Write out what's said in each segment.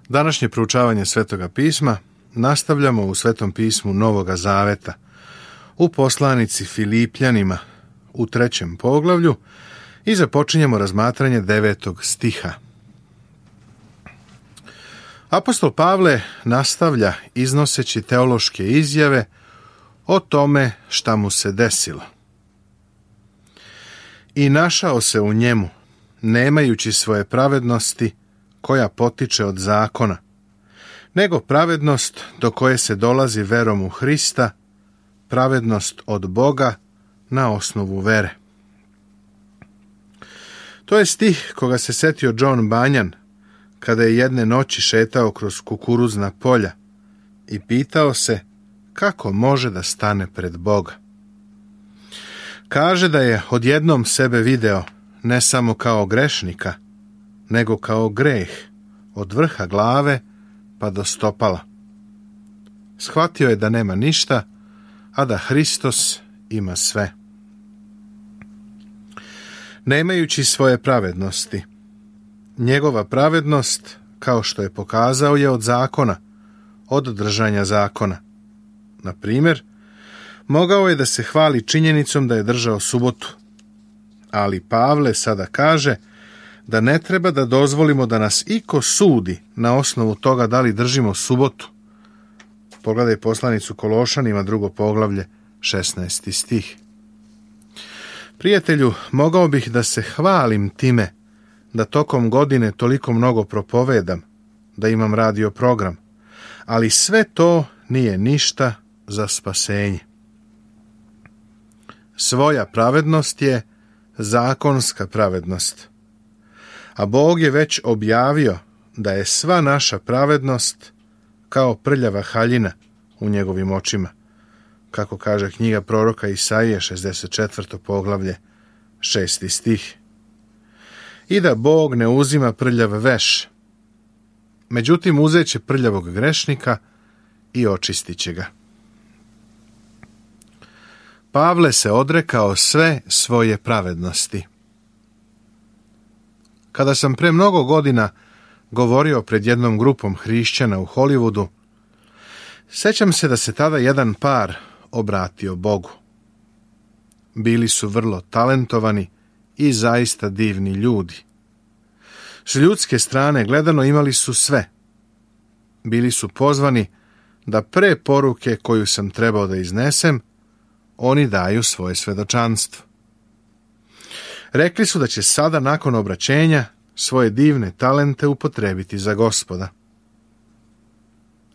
Današnje proučavanje Svetoga pisma nastavljamo u Svetom pismu Novoga Zaveta, u poslanici Filipljanima u 3. poglavlju i započinjemo razmatranje 9. stiha. Apostol Pavle nastavlja iznoseći teološke izjave o tome šta mu se desilo. I našao se u njemu, nemajući svoje pravednosti koja potiče od zakona, nego pravednost do koje se dolazi verom u Hrista, pravednost od Boga na osnovu vere. To je stih koga se setio John Bunyan kada je jedne noći šetao kroz kukuruzna polja i pitao se kako može da stane pred Boga. Kaže da je odjednom sebe video ne samo kao grešnika, nego kao greh od vrha glave pa do stopala. Shvatio je da nema ništa, a da Hristos ima sve. Nemajući svoje pravednosti, njegova pravednost, kao što je pokazao, je od zakona, od držanja zakona. Na primjer, mogao je da se hvali činjenicom da je držao subotu, ali Pavle sada kaže da ne treba da dozvolimo da nas iko sudi na osnovu toga da li držimo subotu. Pogledaj poslanicu Kološanima, 2. poglavlje, 16. stih. Prijatelju, mogao bih da se hvalim time da tokom godine toliko mnogo propovedam, da imam radio program, ali sve to nije ništa za spasenje. Svoja pravednost je zakonska pravednost, a Bog je već objavio da je sva naša pravednost kao prljava haljina u njegovim očima, kako kaže knjiga proroka Isaije, 64. poglavlje, 6. stih. I da Bog ne uzima prljav veš, međutim uzet će prljavog grešnika i očistit će ga. Pavle se odrekao sve svoje pravednosti. Kada sam pre mnogo godina govorio pred jednom grupom hrišćana u Hollywoodu, sećam se da se tada jedan par obratio Bogu. Bili su vrlo talentovani i zaista divni ljudi. S ljudske strane gledano imali su sve. Bili su pozvani da pre poruke koju sam trebao da iznesem, oni daju svoje svedočanstvo. Rekli su da će sada nakon obraćenja svoje divne talente upotrebiti za Gospoda.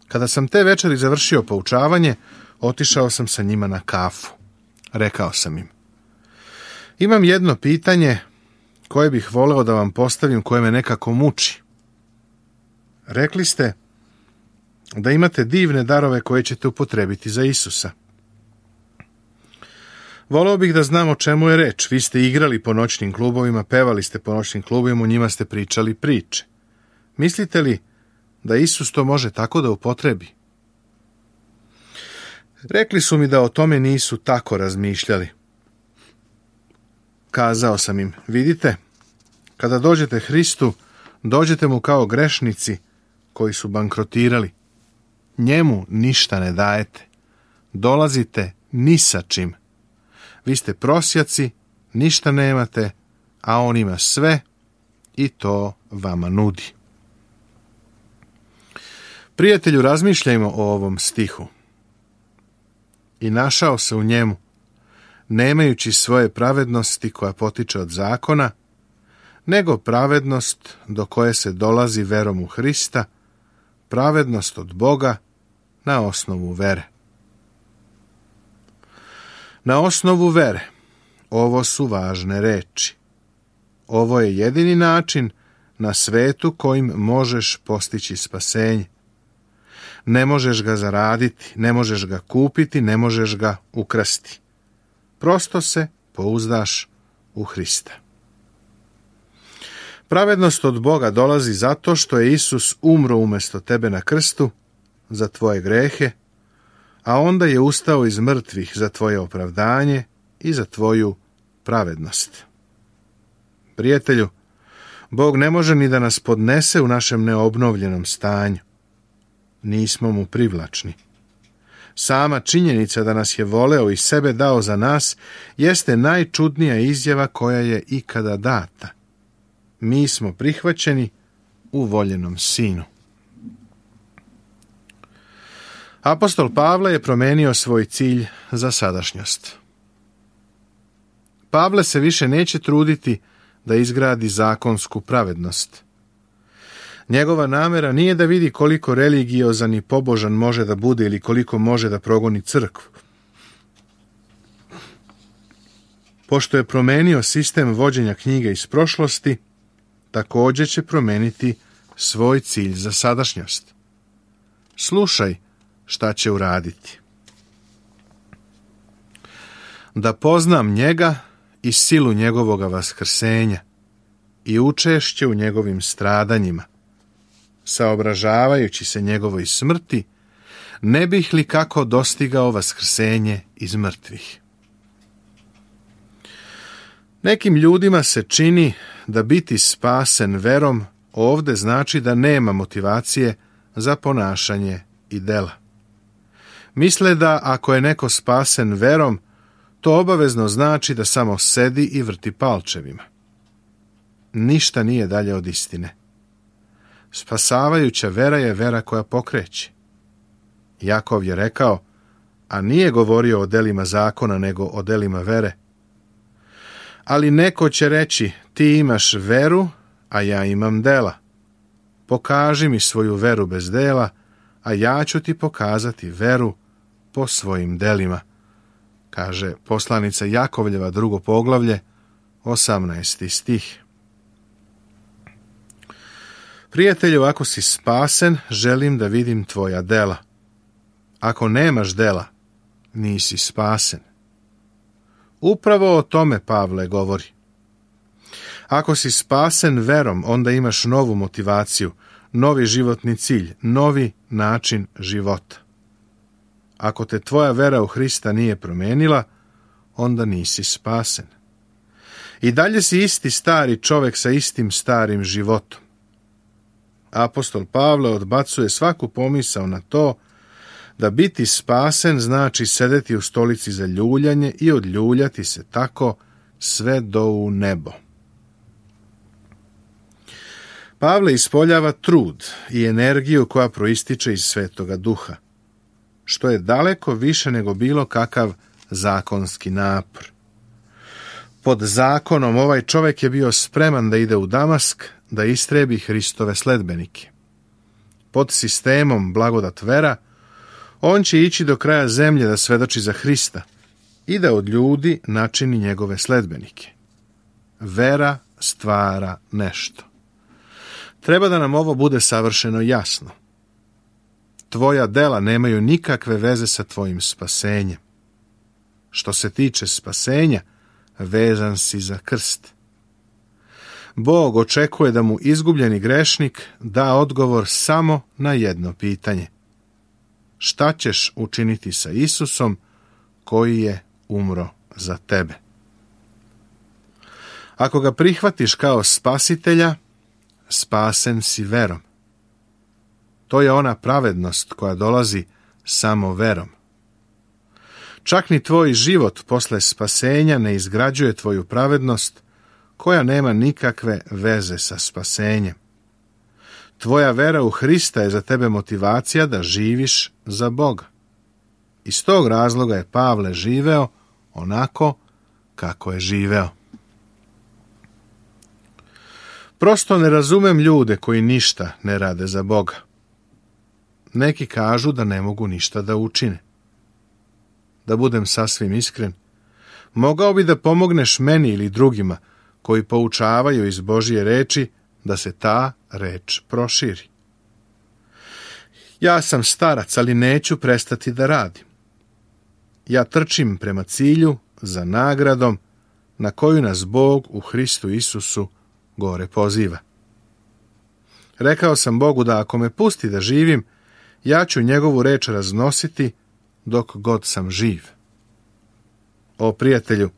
Kada sam te večeri završio poučavanje, otišao sam sa njima na kafu. Rekao sam im: imam jedno pitanje koje bih voleo da vam postavim, koje me nekako muči. Rekli ste da imate divne darove koje ćete upotrebiti za Isusa. Voleo bih da znam o čemu je reč. Vi ste igrali po noćnim klubovima, pevali ste po noćnim klubovima, u njima ste pričali priče. Mislite li da Isus to može tako da upotrebi? Rekli su mi da o tome nisu tako razmišljali. Kazao sam im: vidite, kada dođete Hristu, dođete mu kao grešnici koji su bankrotirali. Njemu ništa ne dajete. Dolazite ni sa čim. Vi ste prosjaci, ništa nemate, a on ima sve i to vama nudi. Prijatelju, razmišljajmo o ovom stihu. I našao se u njemu, nemajući svoje pravednosti koja potiče od zakona, nego pravednost do koje se dolazi verom u Hrista, pravednost od Boga na osnovu vere. Na osnovu vere, ovo su važne reči. Ovo je jedini način na svetu kojim možeš postići spasenje. Ne možeš ga zaraditi, ne možeš ga kupiti, ne možeš ga ukrasti. Prosto se pouzdaš u Hrista. Pravednost od Boga dolazi zato što je Isus umro umjesto tebe na krstu za tvoje grehe, a onda je ustao iz mrtvih za tvoje opravdanje i za tvoju pravednost. Prijatelju, Bog ne može ni da nas podnese u našem neobnovljenom stanju. Nismo mu privlačni. Sama činjenica da nas je voleo i sebe dao za nas jeste najčudnija izjava koja je ikada data. Mi smo prihvaćeni u voljenom sinu. Apostol Pavle je promenio svoj cilj za sadašnjost. Pavle se više neće truditi da izgradi zakonsku pravednost. Njegova namera nije da vidi koliko religiozan i pobožan može da bude ili koliko može da progoni crkvu. Pošto je promenio sistem vođenja knjige iz prošlosti, također će promeniti svoj cilj za sadašnjost. Slušaj šta će uraditi. Da poznam njega i silu njegovoga vaskrsenja i učešće u njegovim stradanjima, saobražavajući se njegovoj smrti, ne bih li kako dostigao vaskrsenje iz mrtvih. Nekim ljudima se čini da biti spasen verom ovde znači da nema motivacije za ponašanje i dela. Misle da ako je neko spasen verom, to obavezno znači da samo sedi i vrti palčevima. Ništa nije dalje od istine. Spasavajuća vera je vera koja pokreće. Jakov je rekao, a nije govorio o delima zakona, nego o delima vere. Ali neko će reći, ti imaš veru, a ja imam dela. Pokaži mi svoju veru bez dela, a ja ću ti pokazati veru po svojim delima, kaže poslanica Jakovljeva, 2. poglavlje, 18. stih. Prijatelju, ako si spasen, želim da vidim tvoja dela. Ako nemaš dela, nisi spasen. Upravo o tome Pavle govori. Ako si spasen verom, onda imaš novu motivaciju, novi životni cilj, novi način života. Ako te tvoja vera u Hrista nije promenila, onda nisi spasen. I dalje si isti stari čovjek sa istim starim životom. Apostol Pavle odbacuje svaku pomisao na to da biti spasen znači sedeti u stolici za ljuljanje i odljuljati se tako sve do u nebo. Pavle ispoljava trud i energiju koja proističe iz Svetoga Duha, što je daleko više nego bilo kakav zakonski napor. Pod zakonom ovaj čovjek je bio spreman da ide u Damask, da istrebi Hristove sledbenike. Pod sistemom blagodat vera, on će ići do kraja zemlje da svedoči za Hrista i da od ljudi načini njegove sledbenike. Vera stvara nešto. Treba da nam ovo bude savršeno jasno. Tvoja dela nemaju nikakve veze sa tvojim spasenjem. Što se tiče spasenja, vezan si za krst. Bog očekuje da mu izgubljeni grešnik da odgovor samo na jedno pitanje. Šta ćeš učiniti sa Isusom koji je umro za tebe? Ako ga prihvatiš kao spasitelja, spasen si verom. To je ona pravednost koja dolazi samo verom. Čak ni tvoj život posle spasenja ne izgrađuje tvoju pravednost, koja nema nikakve veze sa spasenjem. Tvoja vera u Hrista je za tebe motivacija da živiš za Boga. Iz tog razloga je Pavle živeo onako kako je živeo. Prosto ne razumem ljude koji ništa ne rade za Boga. Neki kažu da ne mogu ništa da učine. Da budem sasvim iskren, mogao bi da pomogneš meni ili drugima koji poučavaju iz Božje reči da se ta reč proširi. Ja sam starac, ali neću prestati da radim. Ja trčim prema cilju za nagradom na koju nas Bog u Hristu Isusu gore poziva. Rekao sam Bogu da ako me pusti da živim, ja ću njegovu reč raznositi dok god sam živ. O prijatelju,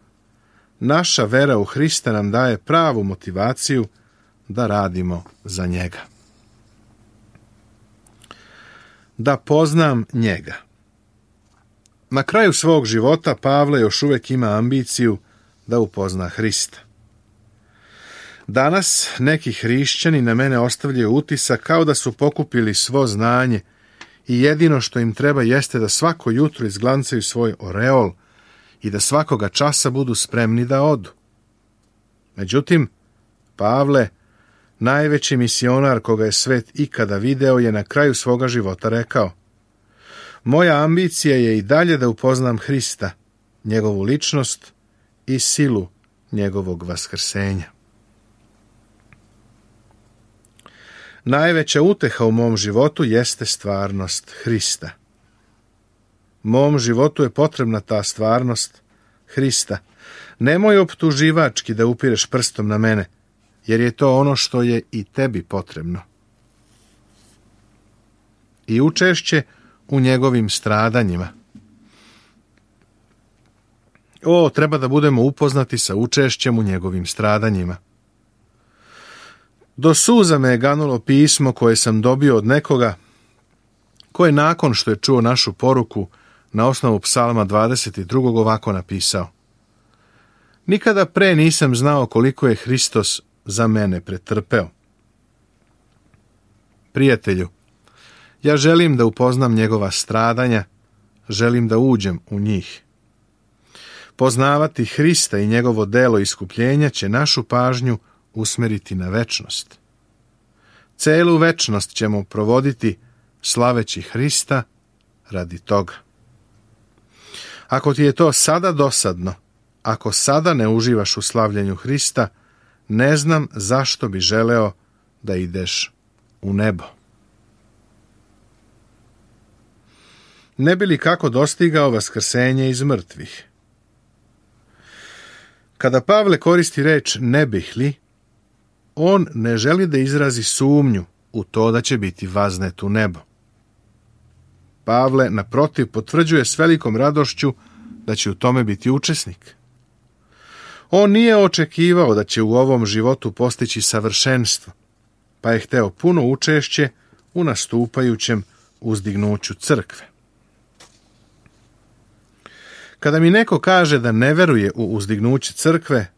naša vera u Hrista nam daje pravu motivaciju da radimo za njega. Da poznam njega. Na kraju svog života Pavle još uvijek ima ambiciju da upozna Hrista. Danas neki hrišćani na mene ostavljaju utisak kao da su pokupili svo znanje i jedino što im treba jeste da svako jutro izglancaju svoj oreol i da svakoga časa budu spremni da odu. Međutim, Pavle, najveći misionar koga je svet ikada video, je na kraju svoga života rekao: moja ambicija je i dalje da upoznam Hrista, njegovu ličnost i silu njegovog vaskrsenja. Najveća uteha u mom životu jeste stvarnost Hrista. Mom životu je potrebna ta stvarnost Hrista. Nemoj optuživački da upireš prstom na mene, jer je to ono što je i tebi potrebno. I učešće u njegovim stradanjima. Treba da budemo upoznati sa učešćem u njegovim stradanjima. Do suza me je ganulo pismo koje sam dobio od nekoga ko je nakon što je čuo našu poruku na osnovu Psalma 22. ovako napisao: nikada pre nisam znao koliko je Hristos za mene pretrpeo. Prijatelju, ja želim da upoznam njegova stradanja, želim da uđem u njih. Poznavati Hrista i njegovo delo iskupljenja će našu pažnju usmeriti na večnost. Celu večnost ćemo provoditi slaveći Hrista radi toga. Ako ti je to sada dosadno, ako sada ne uživaš u slavljenju Hrista, ne znam zašto bi želeo da ideš u nebo. Ne bi li kako dostigao vaskrsenje iz mrtvih? Kada Pavle koristi reč ne bih li, on ne želi da izrazi sumnju u to da će biti vaznet u nebo. Pavle, naprotiv, potvrđuje s velikom radošću da će u tome biti učesnik. On nije očekivao da će u ovom životu postići savršenstvo, pa je hteo puno učešće u nastupajućem uzdignuću crkve. Kada mi neko kaže da ne veruje u uzdignuće crkve,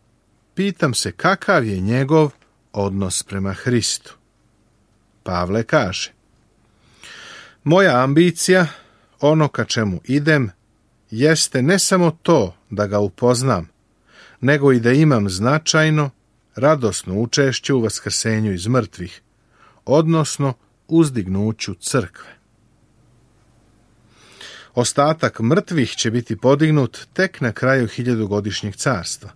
pitam se kakav je njegov odnos prema Hristu. Pavle kaže: moja ambicija, ono ka čemu idem, jeste ne samo to da ga upoznam, nego i da imam značajno, radosno učešće u vaskrsenju iz mrtvih, odnosno uzdignuću crkve. Ostatak mrtvih će biti podignut tek na kraju 1000-godišnjeg carstva.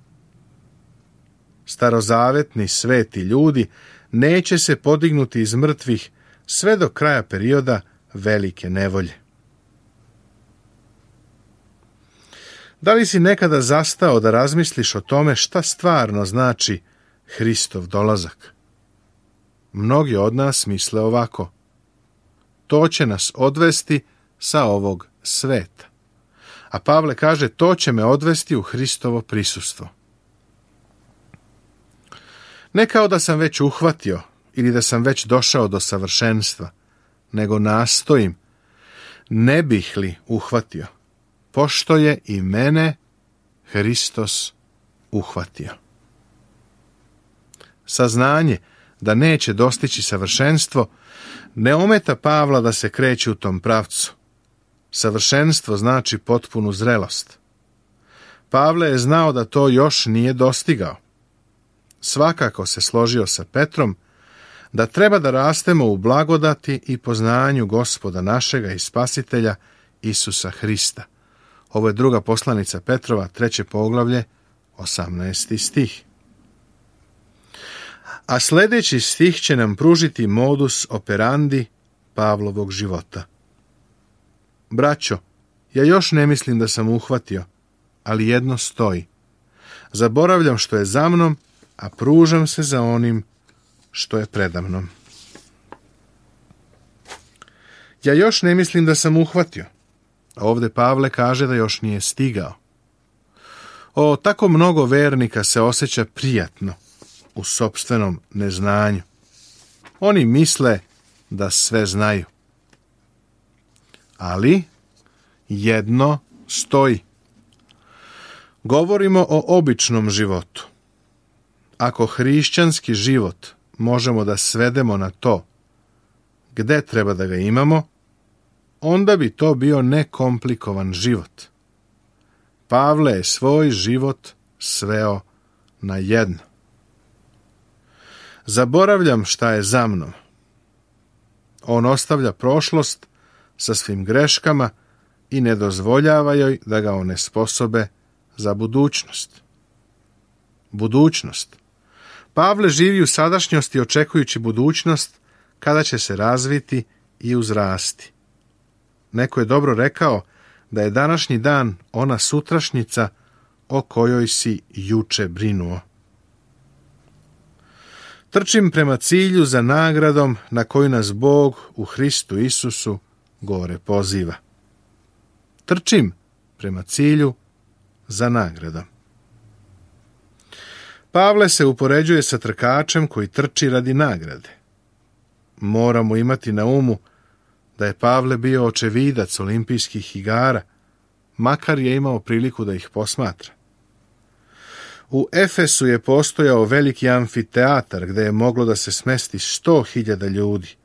Starozavetni sveti ljudi neće se podignuti iz mrtvih sve do kraja perioda velike nevolje. Da li si nekada zastao da razmisliš o tome šta stvarno znači Hristov dolazak? Mnogi od nas misle ovako: to će nas odvesti sa ovog sveta. A Pavle kaže: to će me odvesti u Hristovo prisustvo. Ne kao da sam već uhvatio ili da sam već došao do savršenstva, nego nastojim, ne bih li uhvatio, pošto je i mene Hristos uhvatio. Saznanje da neće dostići savršenstvo ne ometa Pavla da se kreće u tom pravcu. Savršenstvo znači potpunu zrelost. Pavle je znao da to još nije dostigao. Svakako se složio sa Petrom da treba da rastemo u blagodati i poznanju Gospoda našega i Spasitelja Isusa Hrista. Ovo je druga poslanica Petrova, 3. poglavlje, 18. stih. A sljedeći stih će nam pružiti modus operandi Pavlovog života. Braćo, ja još ne mislim da sam uhvatio, ali jedno stoji. Zaboravljam što je za mnom, a pružam se za onim što je predamnom. Ja još ne mislim da sam uhvatio. Ovdje Pavle kaže da još nije stigao. Tako mnogo vernika se osjeća prijatno, u sopstvenom neznanju. Oni misle da sve znaju. Ali jedno stoji. Govorimo o običnom životu. Ako hrišćanski život možemo da svedemo na to gde treba da ga imamo, onda bi to bio nekomplikovan život. Pavle je svoj život sveo na jedno. Zaboravljam šta je za mnom. On ostavlja prošlost sa svim greškama i ne dozvoljava joj da ga onesposobe za budućnost. Budućnost. Pavle živi u sadašnjosti očekujući budućnost kada će se razviti i uzrasti. Neko je dobro rekao da je današnji dan ona sutrašnjica o kojoj si juče brinuo. Trčim prema cilju za nagradom na koju nas Bog u Hristu Isusu gore poziva. Trčim prema cilju za nagradom. Pavle se upoređuje sa trkačem koji trči radi nagrade. Moramo imati na umu da je Pavle bio očevidac olimpijskih igara, makar je imao priliku da ih posmatra. U Efesu je postojao veliki amfiteatar gde je moglo da se smesti 100.000 ljudi,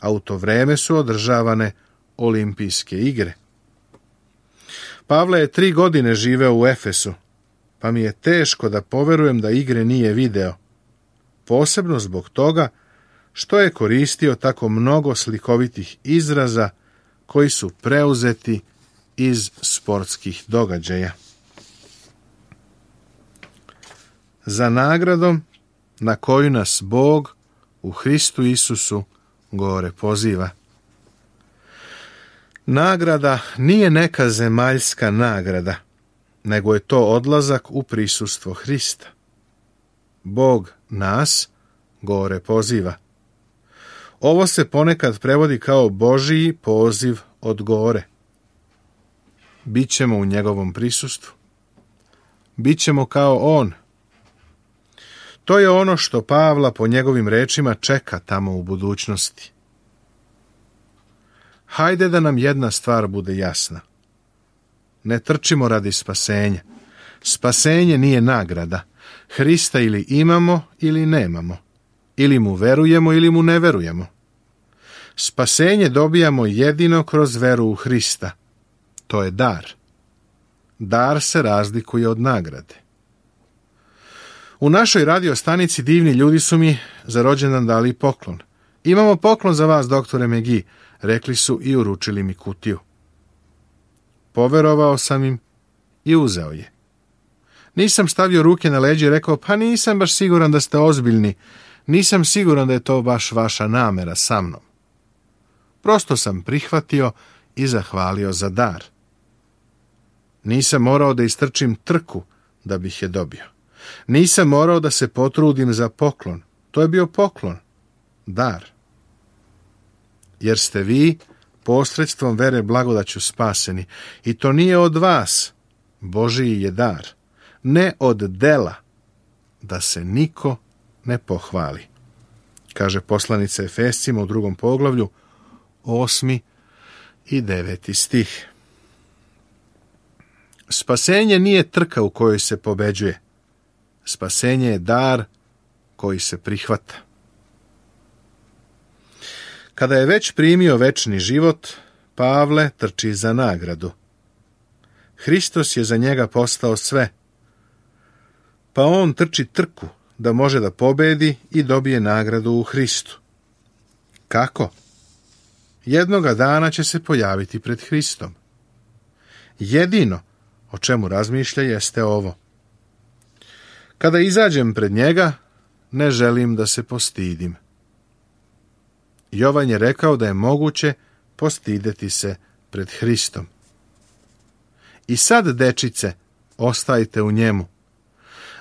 a u to vreme su održavane olimpijske igre. Pavle je 3 godine živeo u Efesu, pa mi je teško da poverujem da igre nije video, posebno zbog toga što je koristio tako mnogo slikovitih izraza koji su preuzeti iz sportskih događaja. Za nagradom na koju nas Bog u Hristu Isusu gore poziva. Nagrada nije neka zemaljska nagrada, nego je to odlazak u prisustvo Hrista. Bog nas gore poziva. Ovo se ponekad prevodi kao Božiji poziv od gore. Bićemo u njegovom prisustvu. Bićemo kao on. To je ono što Pavla po njegovim rečima čeka tamo u budućnosti. Hajde da nam jedna stvar bude jasna. Ne trčimo radi spasenja. Spasenje nije nagrada. Hrista ili imamo ili nemamo. Ili mu verujemo ili mu ne verujemo. Spasenje dobijamo jedino kroz veru u Hrista. To je dar. Dar se razlikuje od nagrade. U našoj radio stanici divni ljudi su mi za rođendan dali poklon. Imamo poklon za vas, doktore Megi, rekli su i uručili mi kutiju. Poverovao sam im i uzeo je. Nisam stavio ruke na leđe i rekao, pa nisam baš siguran da ste ozbiljni, nisam siguran da je to baš vaša namera sa mnom. Prosto sam prihvatio i zahvalio za dar. Nisam morao da istrčim trku da bih je dobio. Nisam morao da se potrudim za poklon. To je bio poklon, dar. Jer ste vi posredstvom vere blagodaću spaseni. I to nije od vas, Božiji je dar. Ne od dela, da se niko ne pohvali. Kaže poslanica Efescima u 2. poglavlju, 8. i 9. stih. Spasenje nije trka u kojoj se pobeđuje. Spasenje je dar koji se prihvata. Kada je već primio večni život, Pavle trči za nagradu. Hristos je za njega postao sve, pa on trči trku da može da pobedi i dobije nagradu u Hristu. Kako? Jednoga dana će se pojaviti pred Hristom. Jedino o čemu razmišlja jeste ovo. Kada izađem pred njega, ne želim da se postidim. Jovan je rekao da je moguće postideti se pred Hristom. I sad, dečice, ostajte u njemu,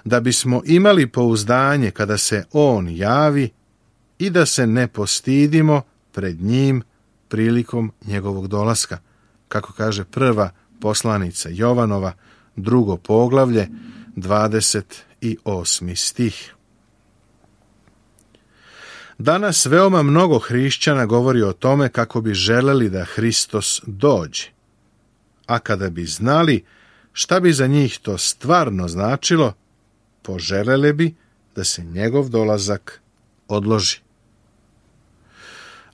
da bismo imali pouzdanje kada se on javi i da se ne postidimo pred njim prilikom njegovog dolaska, kako kaže prva poslanica Jovanova, 2. poglavlje, 28. stih. Danas veoma mnogo hrišćana govori o tome kako bi želeli da Hristos dođe. A kada bi znali šta bi za njih to stvarno značilo, poželele bi da se njegov dolazak odloži.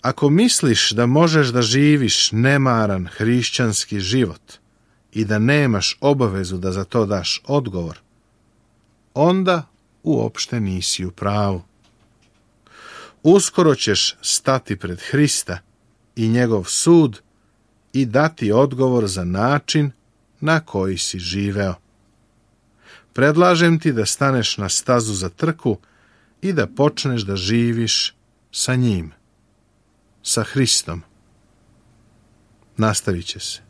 Ako misliš da možeš da živiš nemaran hrišćanski život i da nemaš obavezu da za to daš odgovor, onda uopšte nisi u pravu. Uskoro ćeš stati pred Hrista i njegov sud i dati odgovor za način na koji si živeo. Predlažem ti da staneš na stazu za trku i da počneš da živiš sa njim, sa Hristom. Nastavit će se.